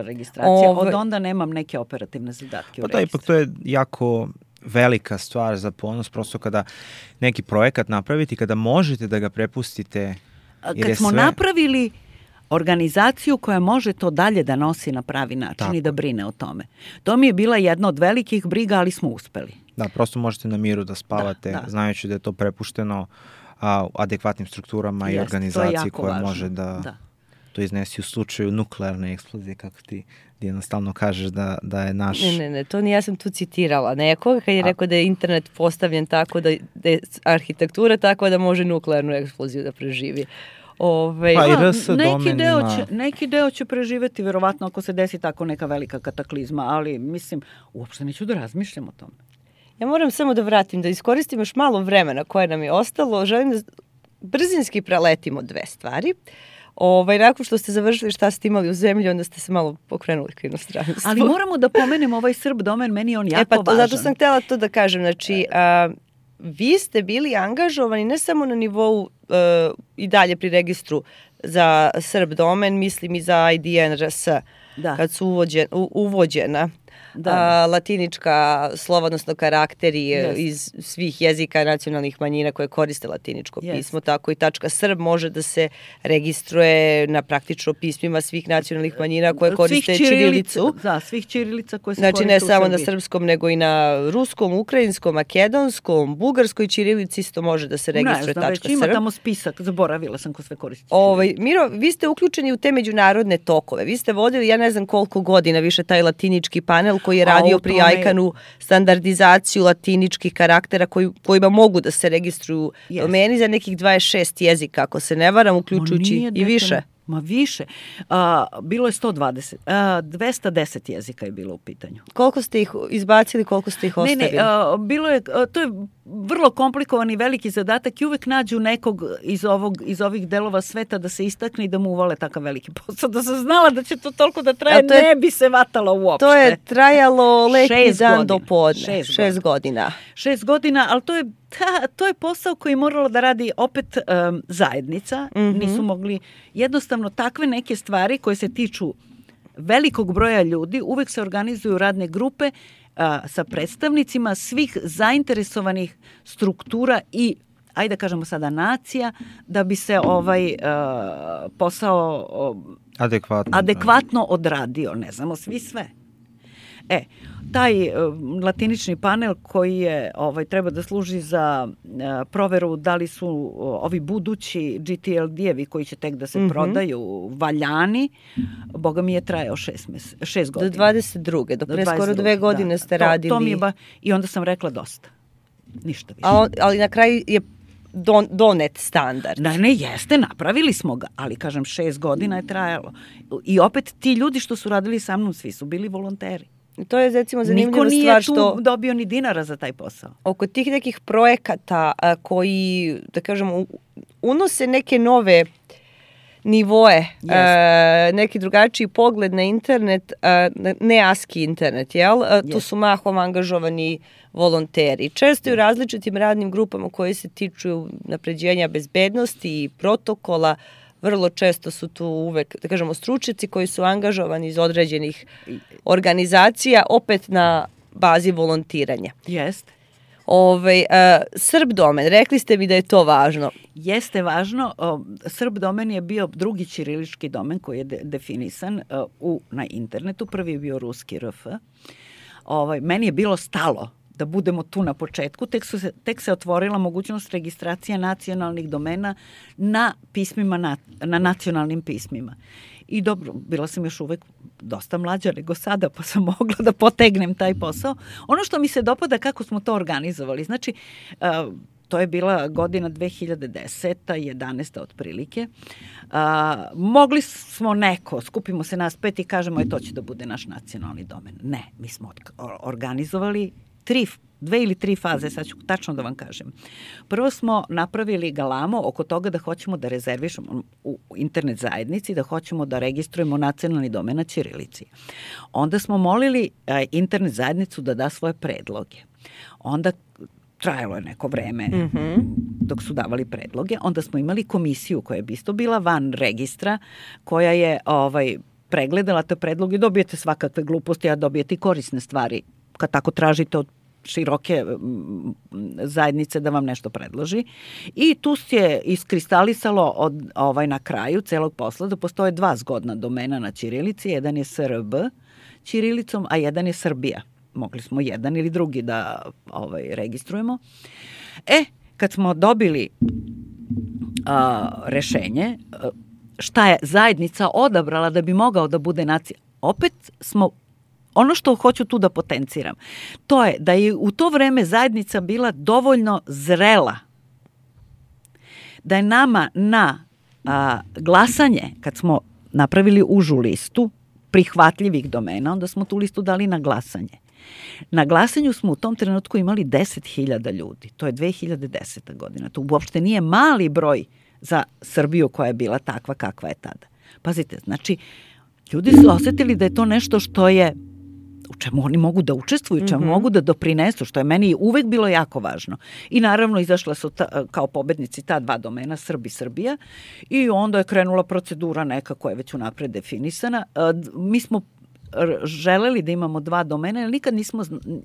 Speaker 1: Od onda nemam neke operativne zadatke u registru.
Speaker 2: Ipak to je jako velika stvar za ponos, prosto kada neki projekat napraviti, kada možete da ga prepustite.
Speaker 1: Kad smo napravili organizaciju koja može to dalje da nosi na pravi način i da brine o tome. To mi je bila jedna od velikih briga, ali smo uspeli.
Speaker 2: Da, prosto možete na miru da spavate, znajući da je to prepušteno adekvatnim strukturama i organizaciji koja može da to iznesi u slučaju nuklearne eksplozije, kako ti jednostavno kažeš da je naš...
Speaker 3: Ne, to ja sam tu citirala nekoga kad je rekao da je internet postavljen tako da je arhitektura tako da može nuklearnu eksploziju da preživi.
Speaker 1: Neki deo će preživeti, verovatno ako se desi tako neka velika kataklizma, ali mislim, uopšte neću da razmišljam o tome.
Speaker 3: Ja moram samo da vratim, da iskoristim još malo vremena koje nam je ostalo. Želim da brzinski preletimo 2 stvari. Nakon što ste završili šta ste imali u zemlji, onda ste se malo pokrenuli k inostranstvu.
Speaker 1: Ali moramo da pomenemo ovaj Srb domen, meni je on jako važan.
Speaker 3: Zato sam htjela to da kažem. Znači, vi ste bili angažovani ne samo na nivou i dalje pri registru za Srb domen, mislim i za IDN.rs, kad su uvođena latinička slova, odnosno karakteri iz svih jezika nacionalnih manjina koje koriste latiničko pismo, tako i .srb može da se registruje na praktično pismima svih nacionalnih manjina koje koriste ćirilicu.
Speaker 1: Da, svih ćirilica koje se koriste u Srbiji.
Speaker 3: Znači ne samo na srpskom, nego i na ruskom, ukrajinskom, makedonskom, bugarskoj ćirilici isto može da se registruje
Speaker 1: .srb. Ne znam, već ima tamo spisak, zaboravila sam ko sve koristi.
Speaker 3: Miro, vi ste uključeni u te međunarodne tokove. Vi ste vodili, ja ne znam koliko godina više taj latinički panel koji je radio pri ICANN-u standardizaciju latiničkih karaktera kojima mogu da se registruju domeni za nekih 26 jezika, ako se ne varam, uključujući i više.
Speaker 1: Ma više. Bilo je 120. 210 jezika je bilo u pitanju.
Speaker 3: Koliko ste ih izbacili, koliko ste ih ostavili?
Speaker 1: Bilo je, to je vrlo komplikovan i veliki zadatak i uvek nađu nekog iz ovih delova sveta da se istakne i da mu uvale takav veliki posao. Da sam znala da će to toliko da traje, ne bi se vatala uopšte.
Speaker 3: To je trajalo leti dan do podne. 6 godina.
Speaker 1: 6 godina, ali to je posao koji je morala da radi opet zajednica. Nisu mogli jednostavno takve neke stvari koje se tiču velikog broja ljudi, uvek se organizuju radne grupe sa predstavnicima svih zainteresovanih struktura i, ajde da kažemo sada, nacija, da bi se posao adekvatno odradio. Ne znamo svi sve. Taj latinični panel koji je treba da služi za proveru da li su ovi budući GTLD-evi koji će tek da se prodaju valjani, boga mi je trajao 6 godina.
Speaker 3: Do 22. Do pre skoro 2 godine ste radili.
Speaker 1: To mi je i onda sam rekla dosta. Ništa više.
Speaker 3: Ali na kraju je donet standard.
Speaker 1: Ne, jeste, napravili smo ga, ali kažem 6 godina je trajalo. I opet ti ljudi što su radili sa mnom, svi su bili volonteri.
Speaker 3: To je recimo zanimljiva stvar što...
Speaker 1: Niko nije tu dobio ni dinara za taj posao.
Speaker 3: Oko tih nekih projekata koji, da kažemo, unose neke nove nivoe, neki drugačiji pogled na internet, ne ASCII internet, jel? Tu su mahom angažovani volonteri. Često i u različitim radnim grupama koje se tiču napređenja bezbednosti i protokola, vrlo često su tu uvek, da kažemo, stručnjaci koji su angažovani iz određenih organizacija, opet na bazi volontiranja.
Speaker 1: Jeste.
Speaker 3: Srb domen, rekli ste mi da je to važno.
Speaker 1: Jeste važno. Srb domen je bio drugi ćirilički domen koji je definisan na internetu. Prvi je bio ruski RF. Meni je bilo stalo da budemo tu na početku, tek se otvorila mogućnost registracije nacionalnih domena na pismima, na nacionalnim pismima. I dobro, bila sam još uvek dosta mlađa nego sada, pa sam mogla da potegnem taj posao. Ono što mi se dopada kako smo to organizovali, znači, to je bila godina 2010. 11. otprilike. Mogli smo skupimo se nas 5 i kažemo to će da bude naš nacionalni domen. Ne, mi smo organizovali 2 ili 3 faze, sad ću tačno da vam kažem. Prvo smo napravili galamo oko toga da hoćemo da rezervišemo u internet zajednici, da hoćemo da registrujemo nacionalni domen na ćirilici. Onda smo molili internet zajednicu da da svoje predloge. Onda trajalo je neko vreme dok su davali predloge. Onda smo imali komisiju koja je isto bila van registra, koja je pregledala te predloge. Dobijete svakakve gluposti, a dobijete i korisne stvari kad tako tražite od široke zajednice da vam nešto predloži. I tu se iskristalisalo na kraju celog posla da postoje 2 zgodna domena na ćirilici. Jedan je SRB ćirilicom, a jedan je Srbija. Mogli smo jedan ili drugi da registrujemo. Kad smo dobili rešenje, šta je zajednica odabrala da bi mogao da bude opet smo ono što hoću tu da potenciram, to je da je u to vreme zajednica bila dovoljno zrela, da je nama na glasanje, kad smo napravili užu listu prihvatljivih domena, onda smo tu listu dali na glasanje. Na glasanju smo u tom trenutku imali 10.000 ljudi. To je 2010. godina. To uopšte nije mali broj za Srbiju koja je bila takva kakva je tada. Pazite, znači, ljudi su osetili da je to nešto što je u čemu oni mogu da učestvuju, čemu mogu da doprinesu, što je meni uvek bilo jako važno. I naravno izašla su kao pobednici ta 2 domena, Srbi i Srbija, i onda je krenula procedura neka koja je već unapred definisana. Mi smo želeli da imamo 2 domena, jer nikad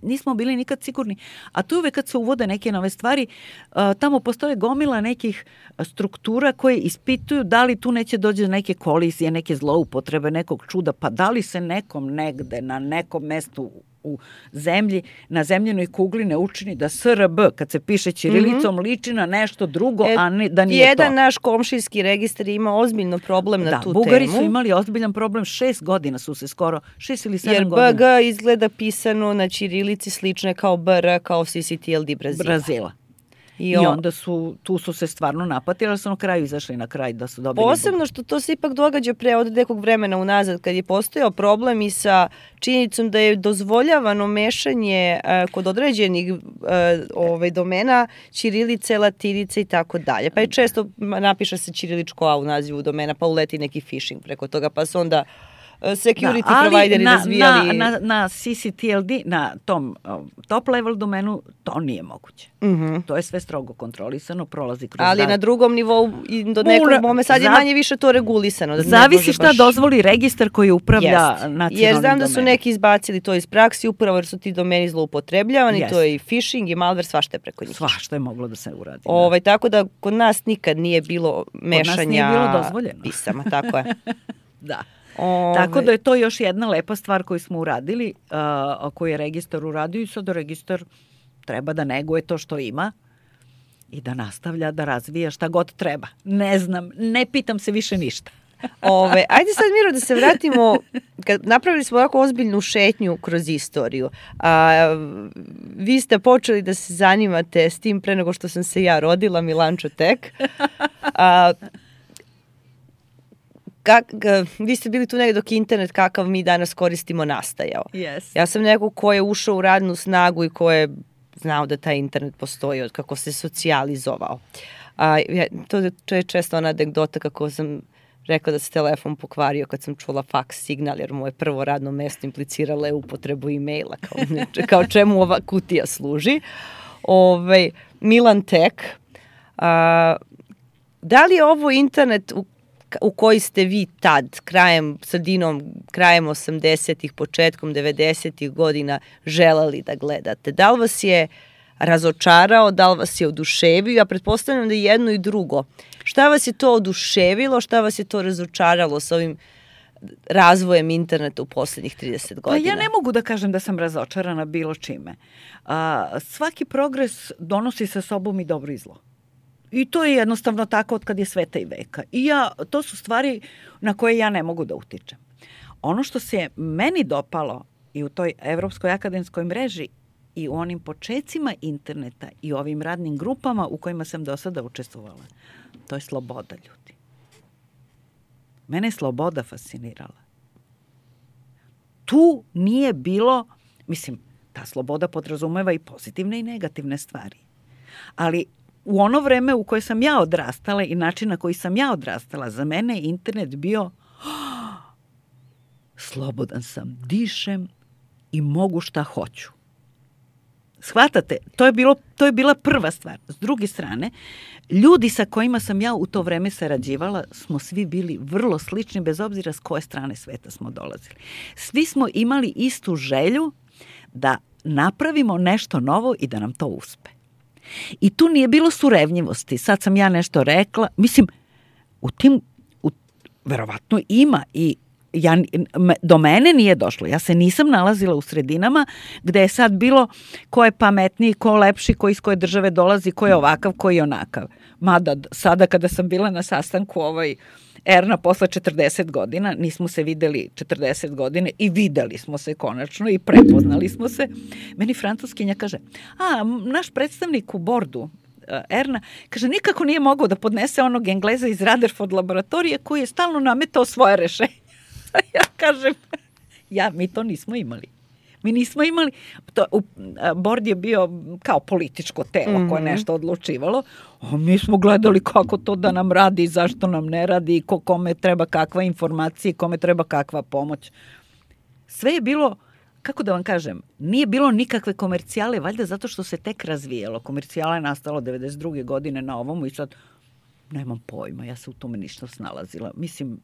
Speaker 1: nismo bili nikad sigurni. A tu uvek kad se uvode neke nove stvari, tamo postoje gomila nekih struktura koje ispituju da li tu neće dođe do neke kolizije, neke zloupotrebe, nekog čuda, pa da li se nekom negde na nekom mestu u zemlji, na zemljenoj kugli ne učini da SRB, kad se piše ćirilicom, liči na nešto drugo, a ne, da nije
Speaker 3: jedan naš komšijski registar ima ozbiljno problem na tu temu.
Speaker 1: Bugari su imali ozbiljan problem, 6 godina su se skoro, 6 ili 7 godina.
Speaker 3: Jer BG izgleda pisano na ćirilici slične kao BR, kao CCTLD Brazila.
Speaker 1: I onda tu su se stvarno napatili, ali su na kraju izašli na kraj da su dobili...
Speaker 3: Posebno što to se ipak događa pre od nekog vremena unazad, kad je postojao problem i sa činjenicom da je dozvoljavano mešanje kod određenih domena ćirilice, latinice i tako dalje. Pa je često napiše se ćiriličko A u nazivu domena, pa uleti neki phishing preko toga, pa se onda security provideri razvijali.
Speaker 1: Na CCTLD, na tom top level domenu, to nije moguće. To je sve strogo kontrolisano, prolazi kroz...
Speaker 3: Ali na drugom nivou i do nekog momenta sad je manje više to regulisano.
Speaker 1: Zavisi šta dozvoli registar koji upravlja nacionalnim domenom.
Speaker 3: Jer znam da su neki izbacili to iz praksi, upravo jer su ti domeni zloupotrebljavani, to je i phishing i malware, svašta je preko njih.
Speaker 1: Svašta je moglo da se uradi.
Speaker 3: Tako da kod nas nikad nije bilo mešanja... Kod nas nije bilo dozvoljeno. Pisama, tako je.
Speaker 1: Da. Tako da je to još jedna lepa stvar koju smo uradili, koju je registar uradio i sad registar treba da neguje to što ima i da nastavlja da razvija šta god treba. Ne znam, ne pitam se više ništa.
Speaker 3: Ajde sad, Miro, da se vratimo, napravili smo ovako ozbiljnu šetnju kroz istoriju. Vi ste počeli da se zanimate s tim pre nego što sam se ja rodila, Milančo tek. Vi ste bili tu negdje dok internet kakav mi danas koristimo nastajao. Ja sam neko ko je ušao u radnu snagu i ko je znao da taj internet postoji od kako se socijalizovao. To je često ona anegdota kako sam rekla da se telefon pokvario kad sam čula faks signal, jer moje prvo radno mesto impliciralo je upotrebu e-maila, kao čemu ova kutija služi. Milan Tek, da li je ovo internet u koji ste vi tad, krajem 80-ih, početkom 90-ih godina želeli da gledate? Da li vas je razočarao, da li vas je oduševio? Ja pretpostavljam da je jedno i drugo. Šta vas je to oduševilo, šta vas je to razočaralo s ovim razvojem interneta u posljednjih 30 godina?
Speaker 1: Pa ja ne mogu da kažem da sam razočarana bilo čime. Svaki progres donosi sa sobom i dobro i zlo. I to je jednostavno tako od kad je sveta i veka. I to su stvari na koje ja ne mogu da utičem. Ono što se meni dopalo i u toj Evropskoj akademskoj mreži i u onim počecima interneta i ovim radnim grupama u kojima sam do sada učestvovala, to je sloboda, ljudi. Mene je sloboda fascinirala. Tu nije bilo, mislim, ta sloboda podrazumeva i pozitivne i negativne stvari. Ali u ono vreme u koje sam ja odrastala i način na koji sam ja odrastala, za mene je internet bio slobodan sam, dišem i mogu šta hoću. Shvatate? To je bila prva stvar. S druge strane, ljudi sa kojima sam ja u to vreme sarađivala smo svi bili vrlo slični, bez obzira s koje strane sveta smo dolazili. Svi smo imali istu želju da napravimo nešto novo i da nam to uspe. I tu nije bilo surevnjivosti. Sad sam ja nešto rekla. Mislim, verovatno ima i do mene nije došlo. Ja se nisam nalazila u sredinama gde je sad bilo ko je pametniji, ko lepši, ko iz koje države dolazi, ko je ovakav, ko je onakav. Mada sada kada sam bila na sastanku Erna posle 40 godina, nismo se videli 40 godine i videli smo se konačno i prepoznali smo se. Meni francuskinja kaže, naš predstavnik u bordu, Erna, kaže, nikako nije mogao da podnese onog Engleza iz Rutherford laboratorije koji je stalno nametao svoje rešenje. Ja kažem, mi to nismo imali. Mi nismo imali, bord je bio kao političko telo koje nešto odlučivalo, a mi smo gledali kako to da nam radi, zašto nam ne radi, kome treba kakva informacija, kome treba kakva pomoć. Sve je bilo, kako da vam kažem, nije bilo nikakve komercijale, valjda zato što se tek razvijalo. Komercijala je nastalo 92. godine na ovomu i sad nemam pojma, ja se u tome ništa snalazila.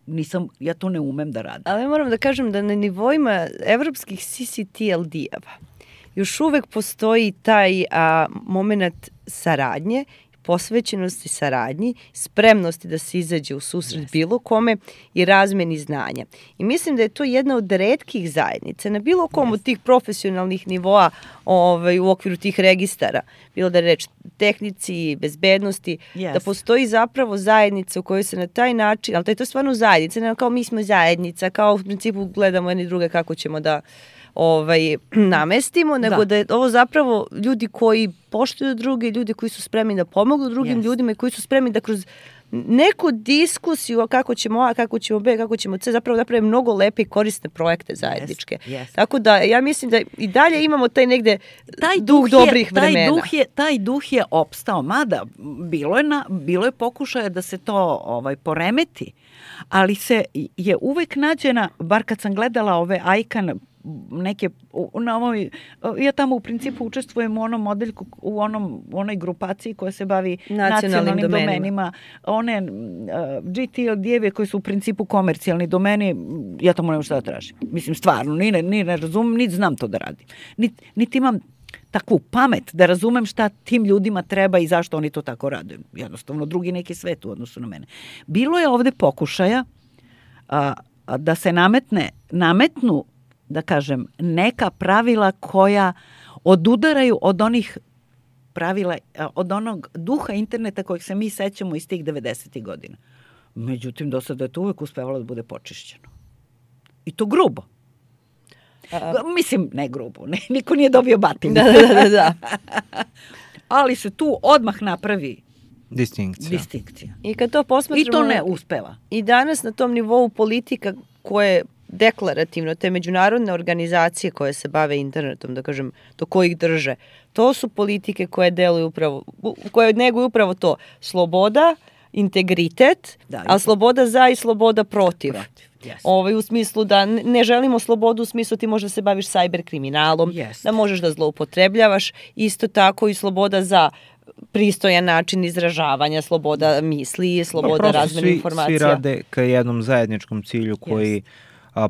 Speaker 1: Mislim, ja to ne umem da radim.
Speaker 3: Ali moram da kažem da na nivoima evropskih CCTLD-eva još uvek postoji taj moment saradnje, posvećenosti saradnji, spremnosti da se izađe u susret bilo kome i razmeni znanja. I mislim da je to jedna od retkih zajednica na bilo kom od tih profesionalnih nivoa u okviru tih registara, bilo da je reč tehnici, bezbednosti, da postoji zapravo zajednica u kojoj se na taj način, ali to je to stvarno zajednica, ne kao mi smo zajednica, kao u principu gledamo jedni druge kako ćemo da namestimo, nego da je ovo zapravo ljudi koji poštuju druge, ljudi koji su spremni da pomognu drugim ljudima i koji su spremni da kroz neku diskusiju kako ćemo A, kako ćemo B, kako ćemo C, zapravo napravimo mnogo lepe i korisne projekte zajedničke.
Speaker 1: Yes.
Speaker 3: Tako da ja mislim da i dalje imamo taj negde duh dobrih vremena.
Speaker 1: Taj duh je opstao, mada bilo je pokušaja da se to poremeti, ali se je uvek nađena, bar kad sam gledala ove ICANN neke, ja tamo u principu učestvujem u onom modeljku, u onoj grupaciji koja se bavi nacionalnim domenima. One GTLD-eve koji su u principu komercijalni domeni, ja tamo nemam šta da tražim. Mislim, stvarno, ni ne razumem, niti znam to da radim. Niti imam takvu pamet da razumem šta tim ljudima treba i zašto oni to tako rade. Jednostavno, drugi neki svet u odnosu na mene. Bilo je ovde pokušaja da se nametnu, da kažem, neka pravila koja odudaraju od onih pravila, od onog duha interneta kojeg se mi sećamo iz tih 90. godina. Međutim, do sada je to uvek uspevalo da bude počišćeno. I to grubo. Mislim, ne grubo, niko nije dobio batinu.
Speaker 3: Da.
Speaker 1: Ali se tu odmah napravi
Speaker 2: distinkcija.
Speaker 3: I kad to posmatramo...
Speaker 1: I to ne uspeva.
Speaker 3: I danas na tom nivou politika koje deklarativno, te međunarodne organizacije koje se bave internetom, da kažem, do kojih drže, to su politike koje deluju upravo, koje neguju upravo to. Sloboda, integritet, a sloboda za i sloboda protiv. Yes. U smislu da ne želimo slobodu, u smislu ti možeš da se baviš cyber kriminalom, da možeš da zloupotrebljavaš, isto tako i sloboda za pristojan način izražavanja, sloboda misli, sloboda razmene informacija.
Speaker 2: Svi rade ka jednom zajedničkom cilju koji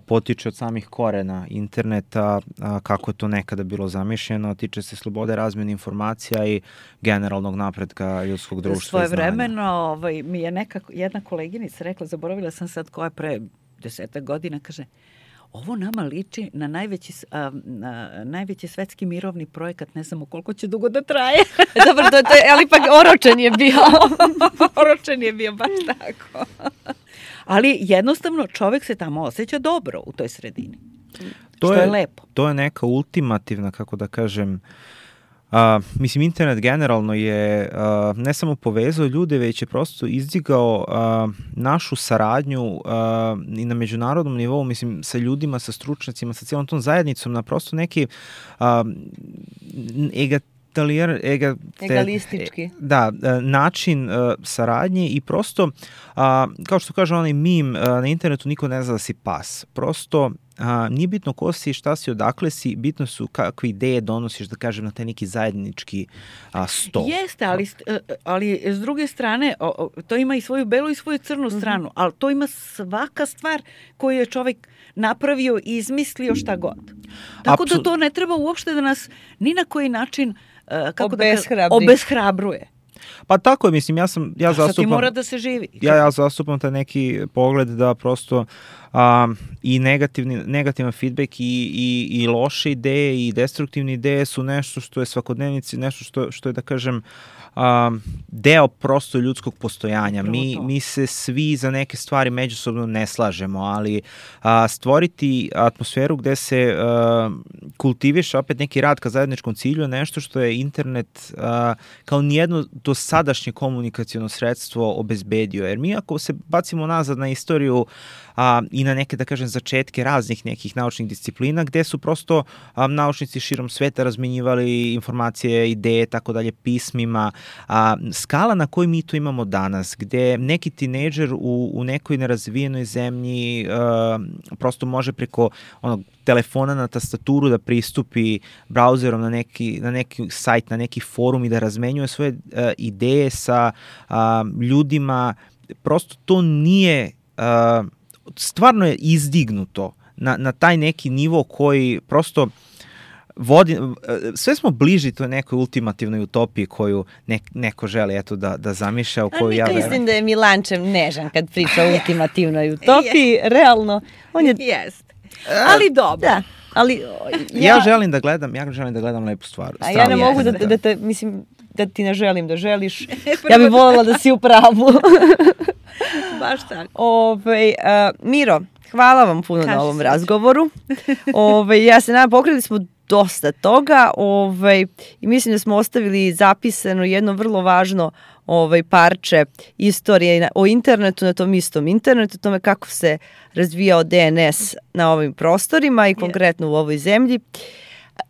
Speaker 2: potiče od samih korena interneta, kako je to nekada bilo zamišljeno, tiče se slobode razmene informacija i generalnog napretka ljudskog društva i znanja.
Speaker 1: Svojevremeno mi je jedna koleginica rekla, zaboravila sam sad koja je pre 10 godina, kaže, ovo nama liči na najveći svetski mirovni projekat, ne znamo koliko će dugo da traje.
Speaker 3: Dobro, ali ipak oročen je bio.
Speaker 1: Oročen je bio, baš tako. Ali jednostavno čovjek se tamo osjeća dobro u toj sredini. Što je lepo.
Speaker 2: To je neka ultimativna, kako da kažem, mislim, internet generalno je ne samo povezao ljude, već je prosto izdigao našu saradnju i na međunarodnom nivou, mislim, sa ljudima, sa stručnjacima, sa cijelom tom zajednicom, na prosto neki
Speaker 3: egalistički.
Speaker 2: Način saradnje i prosto, kao što kaže onaj meme, na internetu niko ne zna da si pas. Prosto, nije bitno ko si, šta si, odakle si, bitno su kakve ideje donosiš, da kažem, na taj neki zajednički sto.
Speaker 1: Jeste, ali s druge strane, to ima i svoju belu i svoju crnu stranu, ali to ima svaka stvar koju je čovjek napravio i izmislio šta god. Tako da to ne treba uopšte da nas ni na koji način obeshrabruje.
Speaker 2: Pa tako je, mislim, ja zastupam...
Speaker 1: Ti mora da se živi.
Speaker 2: Ja zastupam taj neki pogled da prosto i negativan feedback i loše ideje i destruktivne ideje su nešto što je svakodnevnici, nešto što je, da kažem, deo prosto ljudskog postojanja. Mi se svi za neke stvari međusobno ne slažemo, ali stvoriti atmosferu gde se kultiviše opet neki rad ka zajedničkom cilju je nešto što je internet kao nijedno dosadašnje komunikaciono sredstvo obezbedio. Jer mi ako se bacimo nazad na istoriju i na neke, da kažem, začetke raznih nekih naučnih disciplina, gde su prosto naučnici širom sveta razmenjivali informacije, ideje, tako dalje, pismima. Skala na kojoj mi to imamo danas, gde neki tinejdžer u nekoj nerazvijenoj zemlji prosto može preko onog telefona na tastaturu da pristupi brauzerom na neki sajt, na neki forum i da razmenjuje svoje ideje sa ljudima. Prosto to nije... stvarno je izdignuto na taj neki nivo koji prosto vodi, sve smo bliži toj nekoj ultimativnoj utopiji koju neko želi da zamišlja, u koju ja verujem.
Speaker 3: Mislim da je Milančev nežan kad priča o ultimativnoj utopiji, realno. On je...
Speaker 1: Jest. Ali dobro.
Speaker 3: Da. Ali
Speaker 2: ja želim da gledam lepu stvar.
Speaker 3: A ja ne mogu da ti ne želim da želiš. Ja bih voljela da si u pravu.
Speaker 1: Baš tako.
Speaker 3: Miro, hvala vam puno na ovom razgovoru. Ja se nadam, pokrili smo dosta toga i mislim da smo ostavili zapisano jedno vrlo važno parče istorije o internetu, na tom istom internetu, tome kako se razvijao DNS na ovim prostorima i konkretno u ovoj zemlji.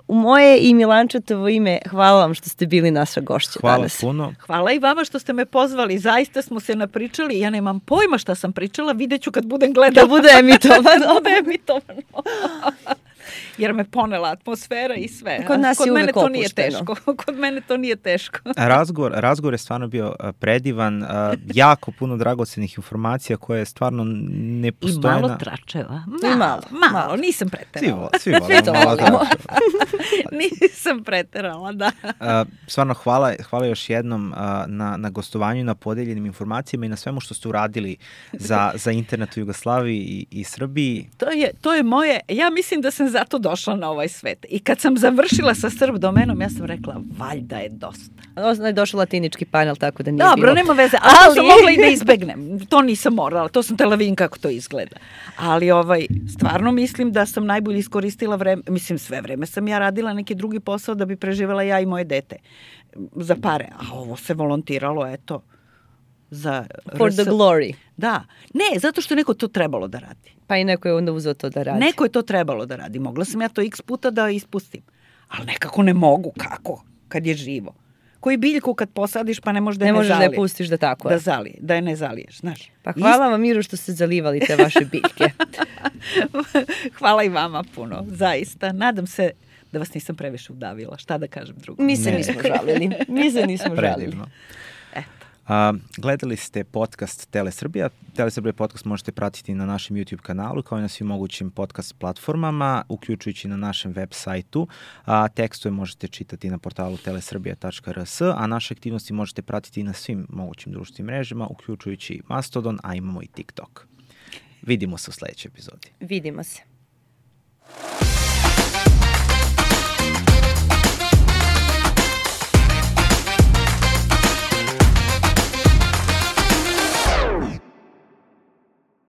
Speaker 3: U moje i Milančetovo ime, hvala vam što ste bili naša gošća danas.
Speaker 2: Hvala puno.
Speaker 1: Hvala i vama što ste me pozvali. Zaista smo se napričali. Ja nemam pojma šta sam pričala. Vidjet ću kad budem gledala.
Speaker 3: Da bude emitovano.
Speaker 1: Jer me ponela atmosfera i sve.
Speaker 3: Kod nas je uvek opušteno.
Speaker 1: Kod mene to nije teško.
Speaker 2: Razgovor je stvarno bio predivan, jako puno dragocenih informacija koje stvarno ne postoje.
Speaker 1: I malo tračeva. Malo. Nisam preterala.
Speaker 2: Svi volimo.
Speaker 1: Nisam preterala, da.
Speaker 2: Stvarno hvala još jednom na gostovanju i na podeljenim informacijama i na svemu što ste uradili za internet u Jugoslaviji i Srbiji.
Speaker 1: To je moje, ja mislim da sam zato došla na ovaj svet. I kad sam završila sa Srb domenom, ja sam rekla, valjda je dosta.
Speaker 3: Je došao latinički panel, tako da nije
Speaker 1: bilo. Dobro, nema veze, ali to sam mogla i da izbegnem. To nisam morala, to sam tela vidim kako to izgleda. Ali stvarno mislim da sam najbolje iskoristila vreme, mislim sve vreme sam ja radila neki drugi posao da bi preživela ja i moje dete za pare. A ovo se volontiralo, eto, za...
Speaker 3: For the glory.
Speaker 1: Da. Ne, zato što neko to trebalo da radi.
Speaker 3: Pa i neko je onda uzeo to da radi.
Speaker 1: Neko je to trebalo da radi. Mogla sam ja to x puta da ispustim. Ali nekako ne mogu. Kako? Kad je živo. Koji biljku kad posadiš pa ne možeš da je ne zaliješ.
Speaker 3: Ne možeš da je pustiš da tako je.
Speaker 1: Da je ne zaliješ, znaš.
Speaker 3: Pa hvala vam, Miru, što ste zalivali te vaše biljke.
Speaker 1: Hvala i vama puno, zaista. Nadam se da vas nisam previše udavila. Šta da kažem drugo?
Speaker 3: Mi se nismo žalili.
Speaker 2: Gledali ste podcast Telesrbija. Telesrbija podcast možete pratiti na našem YouTube kanalu kao i na svim mogućim podcast platformama, uključujući na našem web sajtu. Tekstove možete čitati na portalu telesrbija.rs, a naše aktivnosti možete pratiti i na svim mogućim društvenim mrežama, uključujući Mastodon, a imamo i TikTok. Vidimo se u sledećoj epizodi.
Speaker 3: Vidimo se.